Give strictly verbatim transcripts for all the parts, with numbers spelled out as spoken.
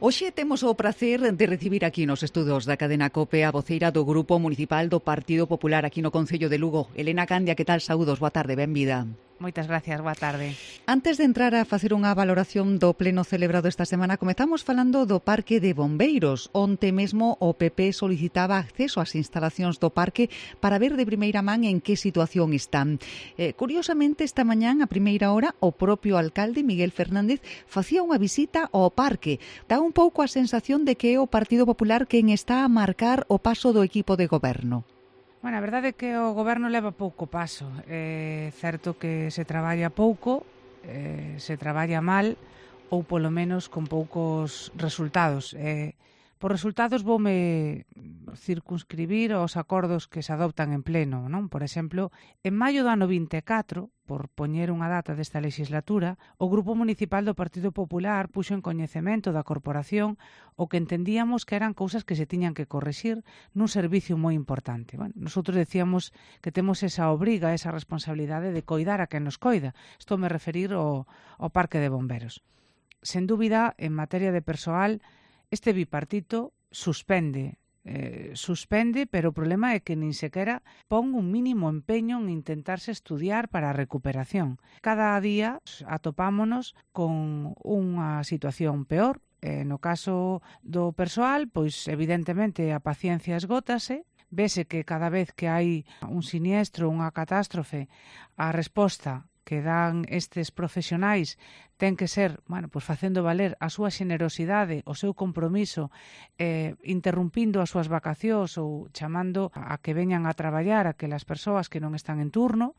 Hoxe temos o prazer de recibir aquí nos estudos da cadena COPE a voceira do Grupo Municipal do Partido Popular aquí no Concello de Lugo. Elena Candia, que tal? Saúdos, boa tarde, benvida. Moitas gracias, boa tarde. Antes de entrar a facer unha valoración do pleno celebrado esta semana, comezamos falando do Parque de Bombeiros. Onte mesmo o P P solicitaba acceso ás instalacións do parque para ver de primeira man en que situación están. Eh, curiosamente, esta mañán, a primeira hora, o propio alcalde, Miguel Fernández, facía unha visita ao parque. Dá un pouco a sensación de que é o Partido Popular quen está a marcar o paso do equipo de goberno. Bueno, a verdade é que o goberno leva pouco paso. É certo que se traballa pouco, eh, se traballa mal ou polo menos con poucos resultados. Eh, por resultados voume circunscribir aos acordos que se adoptan en pleno, non? Por exemplo, en maio do ano vinte e catro, por poñer unha data desta legislatura, o Grupo Municipal do Partido Popular puxo en coñecemento da corporación o que entendíamos que eran cousas que se tiñan que corrixir nun servicio moi importante. Bueno, nosotros decíamos que temos esa obriga, esa responsabilidade de coidar a quen nos coida. Estou me referir ao, ao Parque de Bomberos. Sen dúbida, en materia de persoal, este bipartito suspende, eh, suspende, pero o problema é que nin sequera pon un mínimo empeño en intentarse estudiar para a recuperación. Cada día atopámonos con unha situación peor. Eh, no caso do persoal, pois evidentemente a paciencia esgótase, vese que cada vez que hai un siniestro, unha catástrofe, a resposta que dan estes profesionais ten que ser, bueno, pois facendo valer a súa xenerosidade, o seu compromiso, eh, interrumpindo as súas vacacións ou chamando a que veñan a traballar aquelas persoas que non están en turno.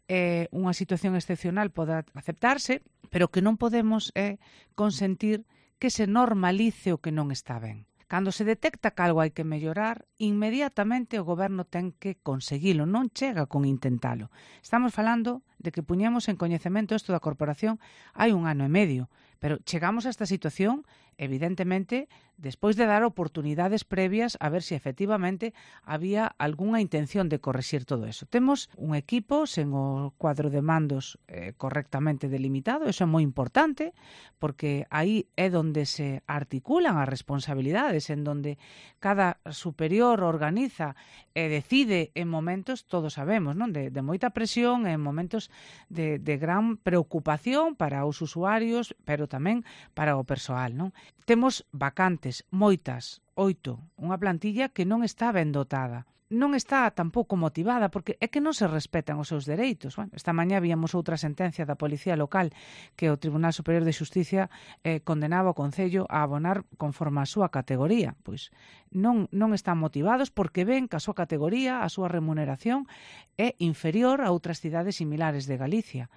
Eh, unha situación excepcional pode aceptarse, pero que non podemos eh, consentir que se normalice o que non está ben. Cando se detecta que algo hai que mellorar, inmediatamente o goberno ten que conseguilo, non chega con intentalo. Estamos falando de que puñemos en coñecemento isto da corporación hai un ano e medio, pero chegamos a esta situación, evidentemente, despois de dar oportunidades previas a ver se efectivamente había algunha intención de correxir todo eso. Temos un equipo sen o cuadro de mandos eh, correctamente delimitado, eso é moi importante, porque aí é onde se articulan as responsabilidades, en donde cada superior organiza e decide en momentos, todos sabemos, non? De, de moita presión, en momentos de, de gran preocupación para os usuarios, pero tamén para o persoal, non? Temos vacantes, moitas, oito, unha plantilla que non está ben dotada. Non está tampouco motivada, porque é que non se respetan os seus dereitos. Bueno, esta mañá víamos outra sentencia da Policía Local que o Tribunal Superior de Xusticia eh, condenaba o Concello a abonar conforme a súa categoría. Pois non, non están motivados porque ven que a súa categoría, a súa remuneración é inferior a outras cidades similares de Galicia.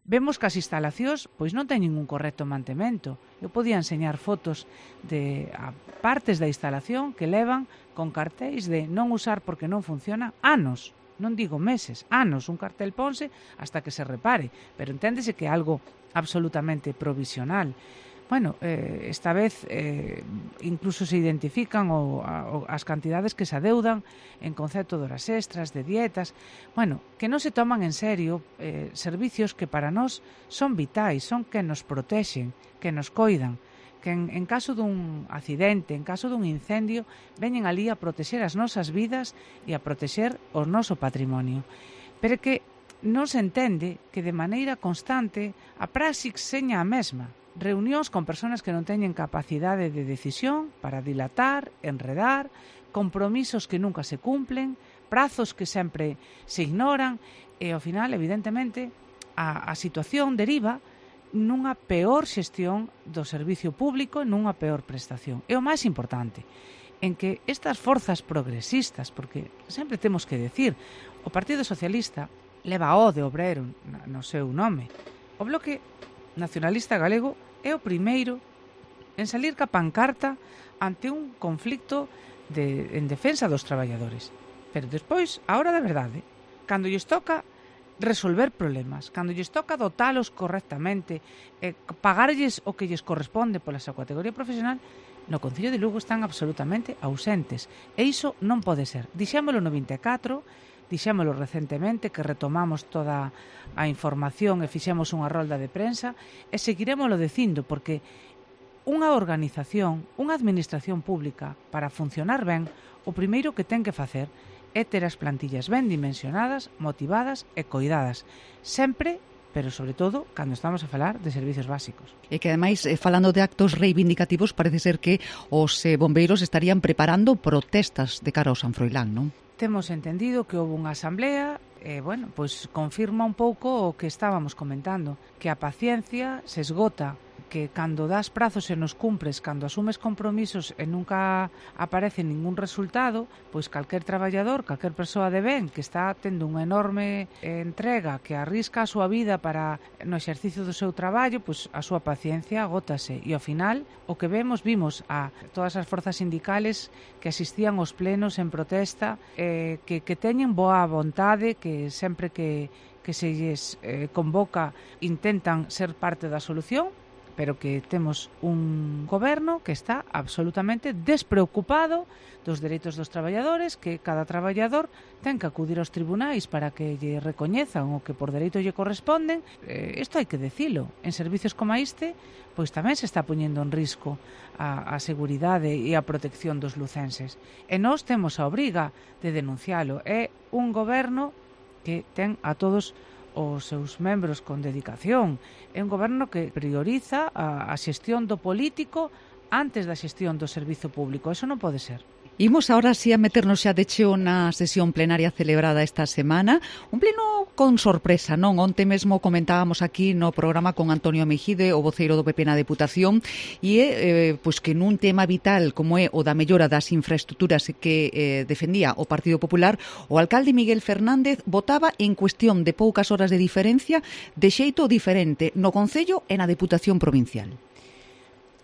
Vemos que as instalacións pois non teñen un correcto mantemento. Eu podía enseñar fotos de a partes da instalación que levan con cartéis de non usar porque non funciona anos, non digo meses, anos. Un cartel ponse hasta que se repare, pero enténdese que é algo absolutamente provisional. Bueno, eh, esta vez eh, incluso se identifican o, a, o, as cantidades que se adeudan en concepto de horas extras, de dietas. Bueno, que non se toman en serio eh, servicios que para nós son vitais, son que nos protexen, que nos coidan, que en, en caso dun accidente, en caso dun incendio, veñen ali a protexer as nosas vidas e a protexer o noso patrimonio. Pero que non se entende que de maneira constante a praxis seña a mesma. Reunións con persoas que non teñen capacidade de decisión para dilatar, enredar, compromisos que nunca se cumplen, prazos que sempre se ignoran e, ao final, evidentemente, a, a situación deriva nunha peor xestión do servicio público, nunha peor prestación. E o máis importante, en que estas forzas progresistas, porque sempre temos que decir, o Partido Socialista leva o de obrero no seu nome. O Bloque Nacionalista Galego é o primeiro en salir ca pancarta ante un conflicto de, en defensa dos traballadores. Pero despois, a hora da verdade, cando lles toca resolver problemas, cando lles toca dotalos correctamente, eh, pagarlles o que lles corresponde pola súa categoría profesional, no Concello de Lugo están absolutamente ausentes. E iso non pode ser. Dixémolo no vinte e catro, dixémolo recentemente, que retomamos toda a información e fixemos unha rolda de prensa, e seguiremoslo dicindo, porque unha organización, unha administración pública, para funcionar ben, o primeiro que ten que facer é ter as plantillas ben dimensionadas, motivadas e coidadas, sempre, pero sobre todo cando estamos a falar de servicios básicos. E que ademais, eh, falando de actos reivindicativos, parece ser que os eh, bombeiros estarían preparando protestas de cara ao San Froilán, non? Temos entendido que houve unha asamblea e, bueno, pois confirma un pouco o que estábamos comentando, que a paciencia se esgota, que cando das prazos e nos cumpres, cando asumes compromisos e nunca aparece ningún resultado, pois calquer traballador, calquer persoa de ben que está tendo unha enorme entrega, que arrisca a súa vida para no exercicio do seu traballo, pois a súa paciencia agótase. E ao final, o que vemos, vimos a todas as forzas sindicales que asistían aos plenos en protesta, eh, que, que teñen boa vontade, que sempre que, que se lles eh, convoca intentan ser parte da solución, pero que temos un goberno que está absolutamente despreocupado dos dereitos dos traballadores, que cada traballador ten que acudir aos tribunais para que lle recoñezan o que por dereito lle corresponden. Eh, isto hai que decilo. En servicios como este, pois tamén se está poñendo en risco a, a seguridade e a protección dos lucenses. E nós temos a obriga de denuncialo. É un goberno que ten a todos os seus membros con dedicación. É un goberno que prioriza a, a xestión do político antes da xestión do servizo público. Eso non pode ser. Imos ahora sí a meternos xa de cheo na sesión plenaria celebrada esta semana. Un pleno con sorpresa, non? Onte mesmo comentábamos aquí no programa con Antonio Mejide, o voceiro do P P na Deputación, e é eh, pois que nun tema vital como é o da mellora das infraestructuras que eh, defendía o Partido Popular, o alcalde Miguel Fernández votaba en cuestión de poucas horas de diferencia de xeito diferente no Concello e na Deputación Provincial.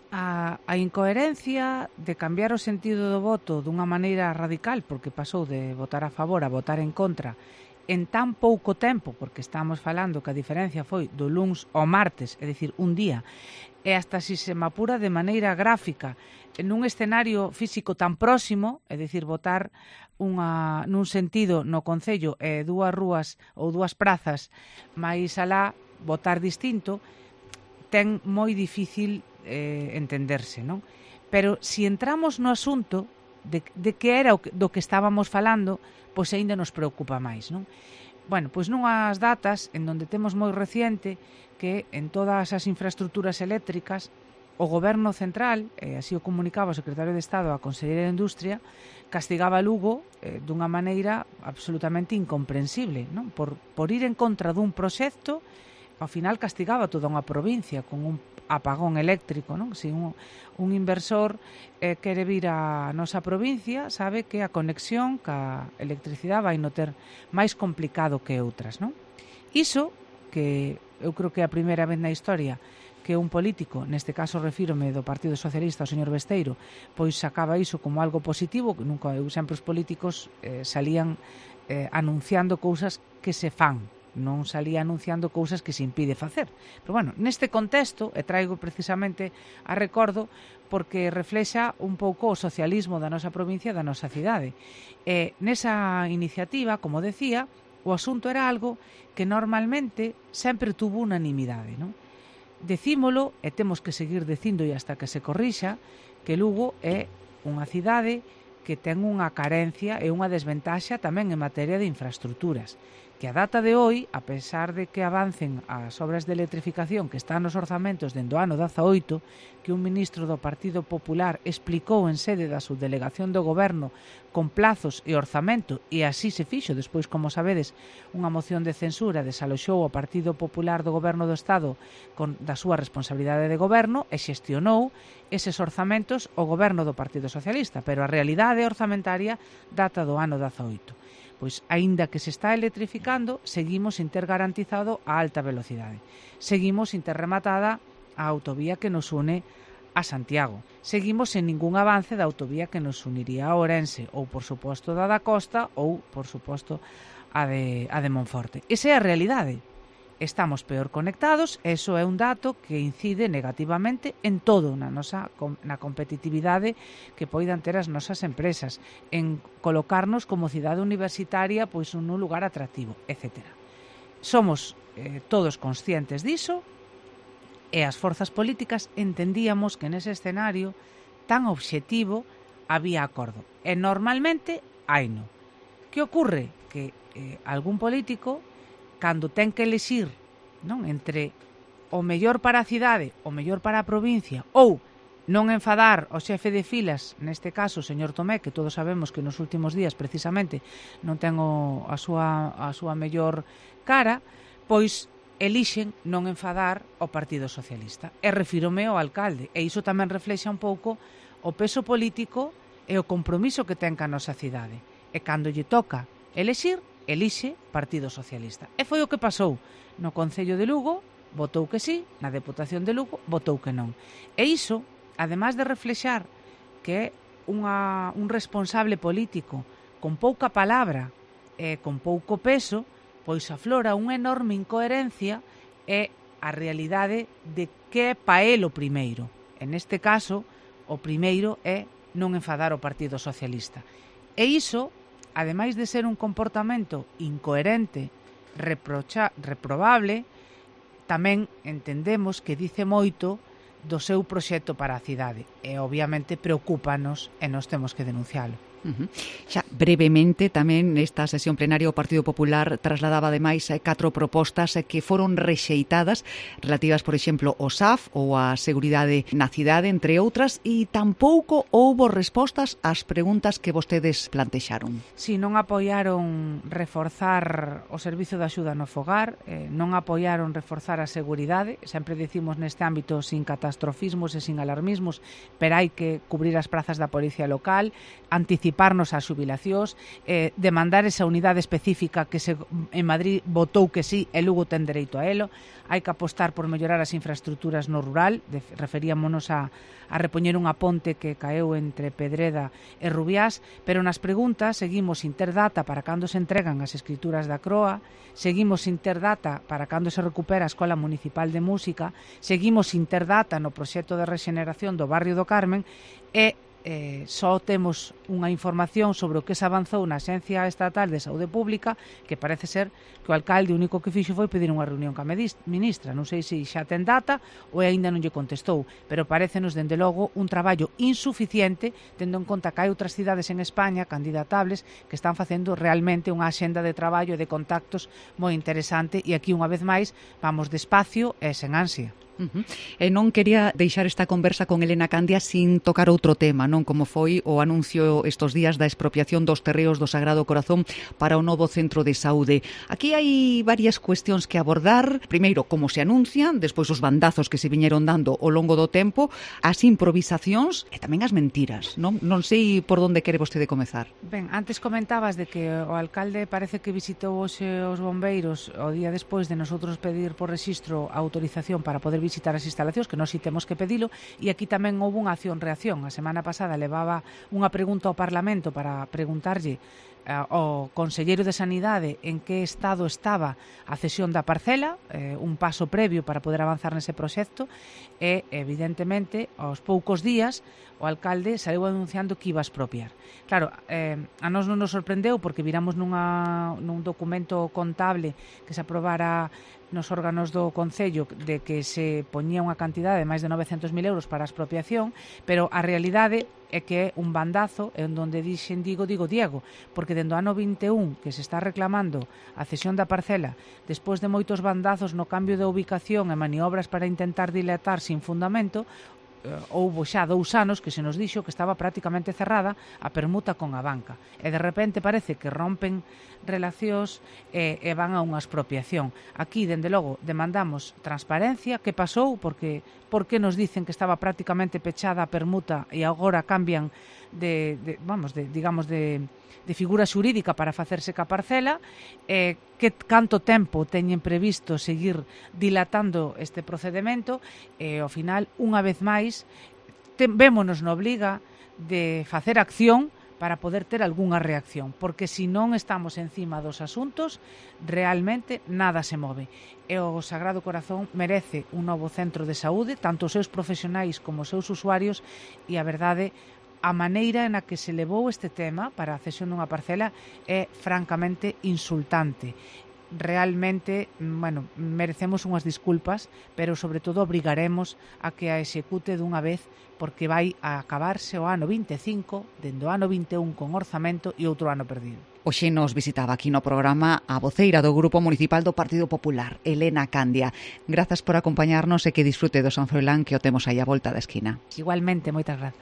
A, a incoherencia de cambiar o sentido do voto dunha maneira radical, porque pasou de votar a favor a votar en contra en tan pouco tempo, porque estamos falando que a diferencia foi do luns ao martes, é dicir, un día, e hasta si se me apura de maneira gráfica en un escenario físico tan próximo, é dicir, votar unha, nun sentido no Concello e dúas rúas ou dúas prazas máis alá, votar distinto, ten moi difícil eh, entenderse, non? Pero se entramos no asunto de, de que era o que, do que estábamos falando, pois aínda nos preocupa máis, non? Bueno, pois nunhas datas en donde temos moi reciente que en todas as infraestructuras eléctricas o Goberno Central, e así o comunicaba o Secretario de Estado á Conselleira de Industria, castigaba Lugo eh, dunha maneira absolutamente incomprensible, non? Por, por ir en contra dun proxecto, ao final castigaba toda unha provincia con un apagón eléctrico, non? Se un, un inversor eh, quere vir á nosa provincia, sabe que a conexión ca electricidade vai no ter máis complicado que outras, non? Iso, que eu creo que é a primeira vez na historia que un político, neste caso refírome do Partido Socialista, o señor Besteiro, pois sacaba iso como algo positivo, que nunca eu sempre os políticos eh, salían eh, anunciando cousas que se fan, non salía anunciando cousas que se impide facer. Pero, bueno, neste contexto, e traigo precisamente a recordo porque reflexa un pouco o socialismo da nosa provincia e da nosa cidade. E nesa iniciativa, como decía, o asunto era algo que normalmente sempre tuvo unanimidade, non? Decímolo, e temos que seguir dicindo e hasta que se corrixa, que Lugo é unha cidade que ten unha carencia e unha desventaxa tamén en materia de infraestructuras, que a data de hoy, a pesar de que avancen as obras de electrificación que están nos orzamentos dende o ano dezaoito, que un ministro do Partido Popular explicou en sede da subdelegación do Goberno con plazos e orzamento, e así se fixo, despois, como sabedes, unha moción de censura desaloxou o Partido Popular do Goberno do Estado con, da súa responsabilidade de goberno e xestionou eses orzamentos o Goberno do Partido Socialista, pero a realidade orzamentaria data do ano dezaoito. Pois, aínda que se está electrificando, seguimos sin ter garantizado a alta velocidade. Seguimos sin ter rematada a autovía que nos une a Santiago. Seguimos sen ningún avance da autovía que nos uniría a Ourense, ou, por suposto, da da Costa, ou, por suposto, a de, a de Monforte. Esa é a realidade. Estamos peor conectados, eso é un dato que incide negativamente en todo na nosa na competitividade que poidan ter as nosas empresas, en colocarnos como cidade universitaria pois nun lugar atractivo, etcétera. Somos eh, todos conscientes diso E as forzas políticas entendíamos que nese escenario tan obxectivo había acordo. E normalmente haino. Que ocorre? Que eh, algún político, cando ten que elixir, non, entre o mellor para a cidade, o mellor para a provincia, ou non enfadar o xefe de filas, neste caso o señor Tomé, que todos sabemos que nos últimos días precisamente non ten o, a, súa, a súa mellor cara, pois elixen non enfadar o Partido Socialista. E refírome ao alcalde, e iso tamén reflexa un pouco o peso político e o compromiso que ten ca nosa cidade. E cando lle toca elixir, elixe Partido Socialista. E foi o que pasou no Concello de Lugo, votou que sí, na Deputación de Lugo votou que non. E iso, ademais de reflexar que é unha, un responsable político con pouca palabra e con pouco peso, pois aflora unha enorme incoherencia e a realidade de que é pa el o primeiro. En este caso, o primeiro é non enfadar o Partido Socialista. E iso, ademais de ser un comportamento incoherente, reprocha, reprobable, tamén entendemos que dice moito do seu proxecto para a cidade e obviamente preocúpanos e nós temos que denuncialo. Uh-huh. Xa brevemente tamén nesta sesión plenaria o Partido Popular trasladaba ademais catro propostas que foron rexeitadas relativas, por exemplo, ao S A F ou á seguridade na cidade, entre outras, e tampouco houbo respostas ás preguntas que vostedes plantexaron. Si, non apoiaron reforzar o servizo de axuda no fogar, eh, non apoiaron reforzar a seguridade, sempre dicimos neste ámbito sin catastrofismos e sin alarmismos, pero hai que cubrir as prazas da policía local, anticipar anticiparnos ás xubilacións, eh, demandar esa unidade específica que se, en Madrid votou que sí e Lugo ten dereito a elo. Hai que apostar por mellorar as infraestructuras no rural, de, referíamonos a, a repoñer unha ponte que caeu entre Pedreda e Rubiás, pero nas preguntas seguimos sin ter data para cando se entregan as escrituras da Croa, seguimos sin ter data para cando se recupera a Escola Municipal de Música, seguimos sin ter data no proxecto de rexeneración do barrio do Carmen e Eh, só temos unha información sobre o que se avanzou na Axencia Estatal de Saúde Pública, que parece ser que o alcalde único que fixo foi pedir unha reunión ca ministra. Non sei se xa ten data ou aínda non lle contestou, pero parécenos dende logo un traballo insuficiente, tendo en conta que hai outras cidades en España candidatables que están facendo realmente unha axenda de traballo e de contactos moi interesante, e aquí unha vez máis vamos despacio e sen ansia. Uh-huh. E non quería deixar esta conversa con Elena Candia sin tocar outro tema, non, como foi o anuncio estes días da expropiación dos terreos do Sagrado Corazón para o novo centro de saúde. Aquí hai varias cuestións que abordar. Primeiro, como se anuncian, despois os bandazos que se viñeron dando ao longo do tempo, as improvisacións e tamén as mentiras, non? Non sei por onde quere vostede comezar. Ben, antes comentabas de que o alcalde parece que visitou hoxe os bombeiros o día despois de nosotros pedir por rexistro a autorización para poder visitar as instalacións, que nós si temos que pedilo, e aquí tamén houve unha acción-reacción. A semana pasada levaba unha pregunta ao Parlamento para preguntarlle ao conselleiro de Sanidade en que estado estaba a cesión da parcela, eh, un paso previo para poder avanzar nese proxecto, e evidentemente aos poucos días o alcalde saiu anunciando que iba a expropiar. Claro, eh, a nós non nos sorprendeu porque viramos nunha, nun documento contable que se aprobara nos órganos do Concello de que se poñía unha cantidade de máis de novecentos mil euros para a expropiación, pero a realidade é que é un bandazo en donde dixen digo, digo Diego, porque dende o ano vinte e un que se está reclamando a cesión da parcela, despois de moitos bandazos no cambio de ubicación e maniobras para intentar dilatar sin fundamento, houbo xa dous anos que se nos dixo que estaba prácticamente cerrada a permuta con a banca, e de repente parece que rompen relacións e, e van a unha expropiación. Aquí, dende logo, demandamos transparencia, que pasou, porque por que nos dicen que estaba prácticamente pechada a permuta e agora cambian de, de vamos, de, digamos, de de figura xurídica para facerse ca parcela, eh, que canto tempo teñen previsto seguir dilatando este procedimento, e ao final, unha vez máis, ten, vémonos na obliga de facer acción para poder ter algunha reacción, porque se non estamos encima dos asuntos, realmente nada se move. E o Sagrado Corazón merece un novo centro de saúde, tanto os seus profesionais como os seus usuarios, e a verdade, a maneira na que se levou este tema para a cesión dunha parcela é francamente insultante. realmente, bueno, merecemos unhas disculpas, pero sobre todo obrigaremos a que a execute dunha vez, porque vai a acabarse o ano vinte e cinco, dende o ano vinte e un con orzamento e outro ano perdido. Hoxe nos visitaba aquí no programa a voceira do Grupo Municipal do Partido Popular, Elena Candia. Grazas por acompañarnos e que disfrute do San Froilán, que o temos aí a volta da esquina. Igualmente, moitas grazas.